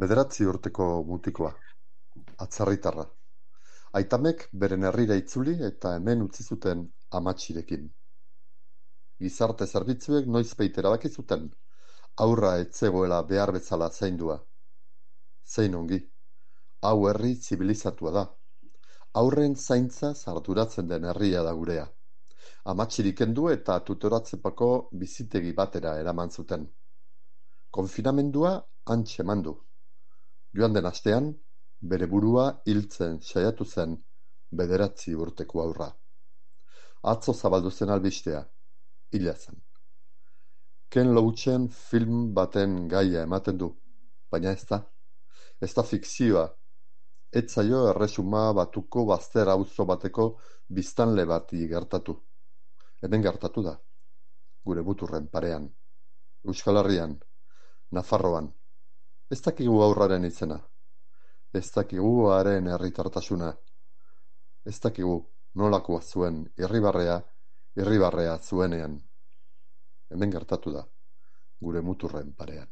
Bederatzi urteko mutikoa, atzerritarra. Aitamek beren herrira itzuli eta hemen utzi zuten amatxirekin. Gizarte zerbitzuek noizbait erabaki zuten, haurra ez zegoela behar bezala zaindua. Zein ongi, hau herri zibilizatua da. Haurren zaintzaz arduratzen den herria da gurea. Amatxirik kendu eta tutoratzepako bizitegi batera eraman zuten. Konfinamendua hantxe eman du. Joan den astean, bere burua hiltzen saiatu zen 9 urteko haurra. Atzo zabaldu zen albistea, hila zen. Ken Loachen film baten gaia ematen du, baina ez da. Ez da fikzioa. Ez zaio Erresuma Batuko bazter auzo bateko biztanle bati gertatu. Hemen gertatu da, gure muturren parean. Euskal Herrian, Nafarroan. Ez dakigu haurraren izena. Ez dakigu haren herritartasuna. Ez dakigu nolakoa zuen irribarrea zuenean. Hemen gertatu da, gure muturren parean.